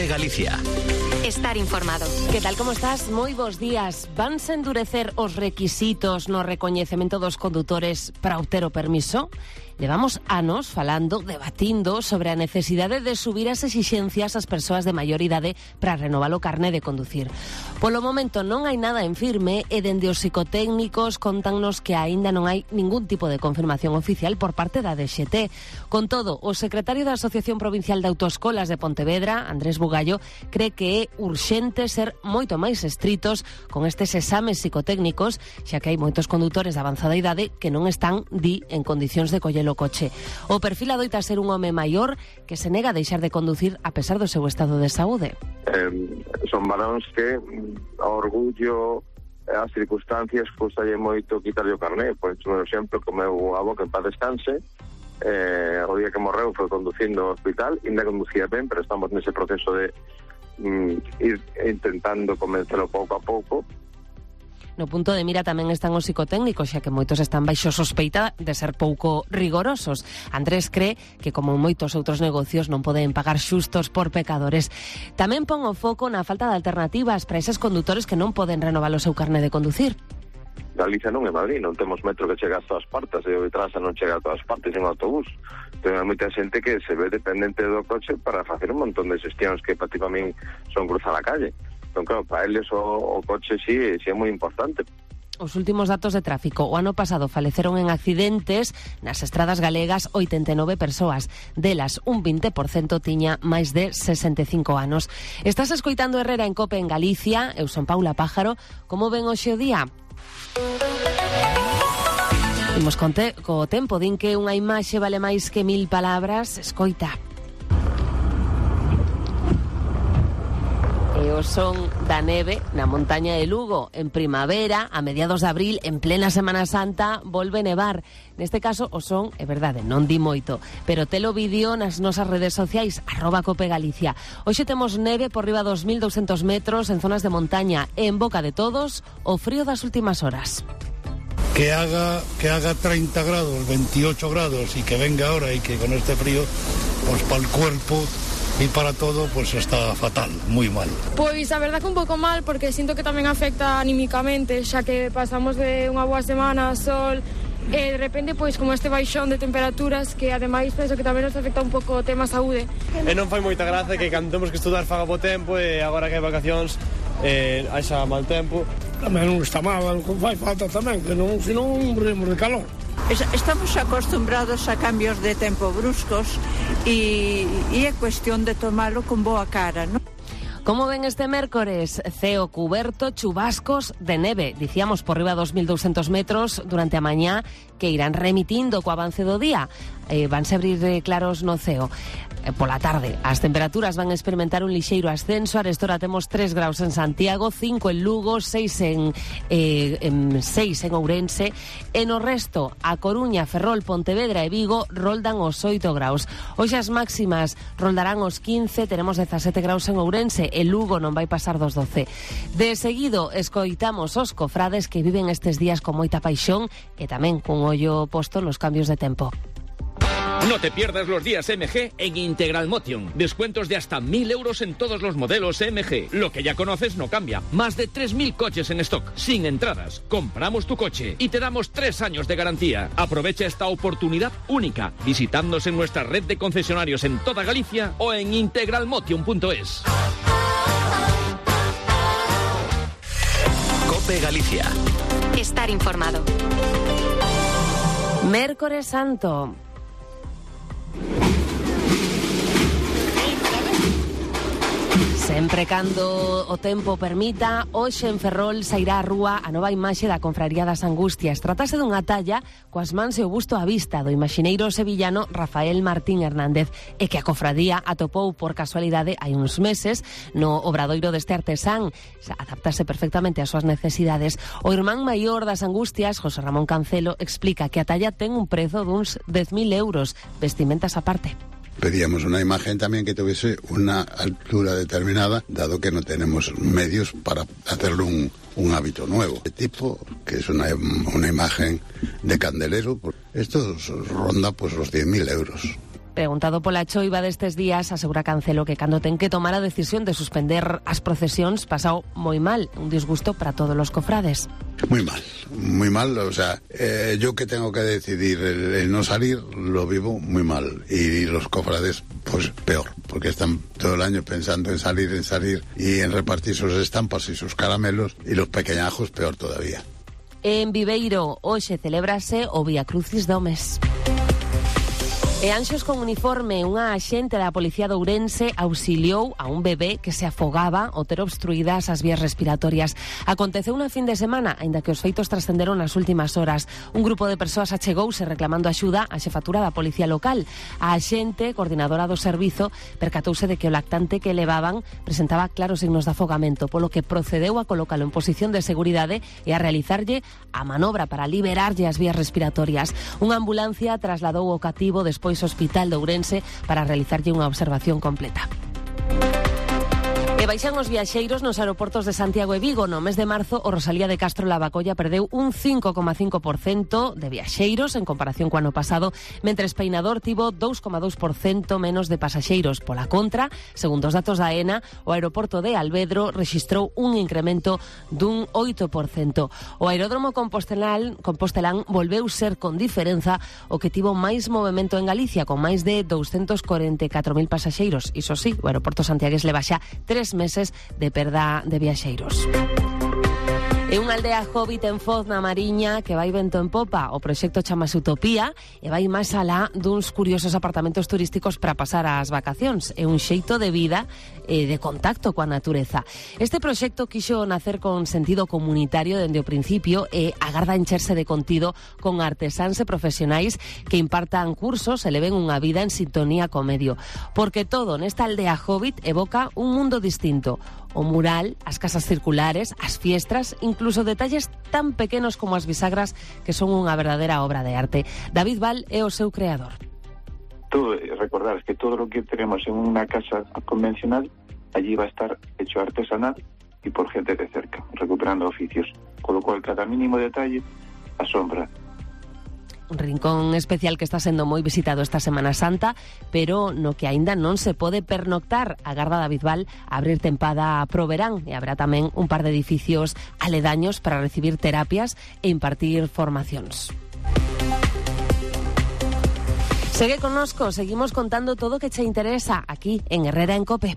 COPE Galicia. Estar informado. Que tal, como estás? Moi bons días. Vanse endurecer os requisitos no recoñecemento dos condutores para obter o permiso? Levamos anos falando, debatindo sobre a necesidade de subir as exixencias ás persoas de maior idade para renovar o carné de conducir. Polo momento non hai nada en firme e dende os psicotécnicos contannos que aínda non hai ningún tipo de confirmación oficial por parte da DXT. Con todo, o secretario da Asociación Provincial de Autoescolas de Pontevedra, Andrés Bugallo, cree que é urxente ser moito máis estritos con estes exames psicotécnicos, xa que hai moitos condutores de avanzada idade que non están, en condicións de coller o coche. O perfil adoita ser un home maior que se nega a deixar de conducir a pesar do seu estado de saúde. Son varóns que ao orgullo as circunstancias custalle moito quitarlle o carné. Por exemplo, como meu avó que en paz descanse, o día que morreu foi conducindo ao hospital, ainda conducía ben, pero estamos nese proceso de ir intentando convencelo pouco a pouco. No punto de mira tamén están os psicotécnicos, xa que moitos están baixo sospeita de ser pouco rigorosos. Andrés cree que, como moitos outros negocios, non poden pagar xustos por pecadores. Tamén pon o foco na falta de alternativas para eses condutores que non poden renovar o seu carné de conducir. Galicia non é Madrid, non temos metro que chega a todas partes, e o Trasa non chega a todas partes en autobús. Ten moita xente que se ve dependente do coche para facer un montón de xestións que para ti para min son cruzar a calle. Entón, claro, para eles o coche sí é moi importante. Os últimos datos de tráfico. O ano pasado faleceron en accidentes nas estradas galegas 89 persoas. Delas, un 20% tiña máis de 65 anos. Estás escoitando Herrera en COPE en Galicia. Eu son Paula Pájaro. Como ven hoxe o día? Imos co tempo. Din que unha imaxe vale máis que 1000 palabras. Escoita. E o son da neve na montaña de Lugo. En primavera, a mediados de abril, en plena Semana Santa, volve nevar. Neste caso, o son, é verdade, non di moito, pero telo vídeo nas nosas redes sociais, @COPEGalicia. Hoxe temos neve por riba dos 1200 metros en zonas de montaña e en boca de todos o frío das últimas horas. Que haga 30 grados, 28 grados y que venga ahora y que con este frío, pues para el cuerpo y para todo, pues está fatal, muy mal. Pois a verdad que un pouco mal, porque sinto que tamén afecta anímicamente, xa que pasamos de unha boa semana, sol, e de repente, pois, como este baixón de temperaturas, que ademais penso que tamén nos afecta un pouco o tema saúde. E non fai moita gracia que cando temos que estudar faga bo tempo e agora que hai vacacións haxa mal tempo. Tamén non está mal, fai falta tamén, que non, senón morimos de calor. Estamos acostumbrados a cambios de tempo bruscos e é cuestión de tomalo con boa cara, ¿no? Como ven este mércores? Ceo cuberto, chubascos de neve. Dicíamos por riba 2200 metros durante a mañá que irán remitindo co avance do día. Vanse abrir claros no ceo. Pola tarde, as temperaturas van a experimentar un lixeiro ascenso. Arestora temos 3 graus en Santiago, 5 en Lugo, 6 en Ourense. E no resto, a Coruña, Ferrol, Pontevedra e Vigo roldan os 8 graus. Hoxe as máximas roldarán os 15, teremos 17 graus en Ourense, e Lugo non vai pasar dos 12. De seguido, escoitamos os cofrades que viven estes días con moita paixón e tamén cun ollo posto nos cambios de tempo. No te pierdas los días MG en Integral Motion. Descuentos de hasta 1.000 euros en todos los modelos MG. Lo que ya conoces no cambia. Más de 3.000 coches en stock, sin entradas. Compramos tu coche y te damos 3 años de garantía. Aprovecha esta oportunidad única visitándonos en nuestra red de concesionarios en toda Galicia o en integralmotion.es. COPE Galicia. Estar informado. Mércores Santo. Sempre cando o tempo permita, hoxe en Ferrol sairá á rúa a nova imaxe da Confraría das Angustias. Trátase dunha talla coas mans e o busto á vista do imaxineiro sevillano Rafael Martín Hernández, e que a cofradía atopou por casualidade hai uns meses no obradoiro deste artesán. Adaptase perfectamente ás súas necesidades. O irmán maior das Angustias, José Ramón Cancelo, explica que a talla ten un prezo duns 10.000 euros, vestimentas aparte. Pedíamos una imagen también que tuviese una altura determinada, dado que no tenemos medios para hacerlo un hábito nuevo. De tipo, que es una imagen de candelero, esto ronda pues los 10.000 euros. Preguntado pola choiva destes días, asegura Cancelo que cando ten que tomar a decisión de suspender as procesións pasou moi mal, un disgusto para todos los cofrades. Muy mal, o sea, yo que tengo que decidir el no salir, lo vivo muy mal, y los cofrades pues peor, porque están todo el año pensando en salir y en repartir sus estampas y sus caramelos, y los pequeñajos peor todavía. En Viveiro hoxe celébrase o Vía Crucis do mes. E Anxos con uniforme, unha axente da Policía de Ourense auxiliou a un bebé que se afogaba ao ter obstruídas as vías respiratorias. Aconteceu unha fin de semana, aínda que os feitos trascenderon nas últimas horas. Un grupo de persoas achegouse reclamando axuda á xefatura da Policía Local. A axente, coordinadora do servizo, percatouse de que o lactante que levaban presentaba claros signos de afogamento, polo que procedeu a colocalo en posición de seguridade e a realizarlle a manobra para liberarlle as vías respiratorias. Unha ambulancia trasladou o cativo despois ao Hospital de Ourense para realizarlle unha observación completa. E baixan os viaxeiros nos aeroportos de Santiago e Vigo. No mes de marzo, o Rosalía de Castro Lavacolla perdeu un 5,5% de viaxeiros en comparación co ano pasado, mentres Peinador tivo 2,2% menos de pasaxeiros. Pola contra, segundo os datos da AENA, o aeroporto de Alvedro rexistrou un incremento dun 8%. O aeródromo compostelán volveu ser con diferenza o que tivo máis movimento en Galicia, con máis de 244.000 pasaxeiros. Iso sí, o aeroporto santiagués le baixa 3 meses de perda de viaxeiros. É unha aldea hobbit en Foz, na Mariña, que vai vento en popa. O proxecto chamase Utopía e vai máis alá duns curiosos apartamentos turísticos para pasar as vacacións. É un xeito de vida e de contacto coa natureza. Este proxecto quixo nacer con sentido comunitario dende o principio e agarda encherse de contido con artesáns e profesionais que impartan cursos e leven unha vida en sintonía co medio. Porque todo nesta aldea hobbit evoca un mundo distinto. O mural, as casas circulares, as fiestras, incluso detalles tan pequenos como as bisagras que son unha verdadeira obra de arte. David Val é o seu creador. Todo, recordar que todo lo que tenemos en una casa convencional, allí va a estar hecho artesanal y por gente de cerca, recuperando oficios. Con lo cual, cada mínimo detalle asombra. Un rincón especial que está sendo moi visitado esta Semana Santa, pero no que aínda non se pode pernoctar. Agarda David Val a abrir tempada pro verán e habrá tamén un par de edificios aledaños para recibir terapias e impartir formacións. Segue connosco, seguimos contando todo o que che interesa aquí en Herrera en Cope.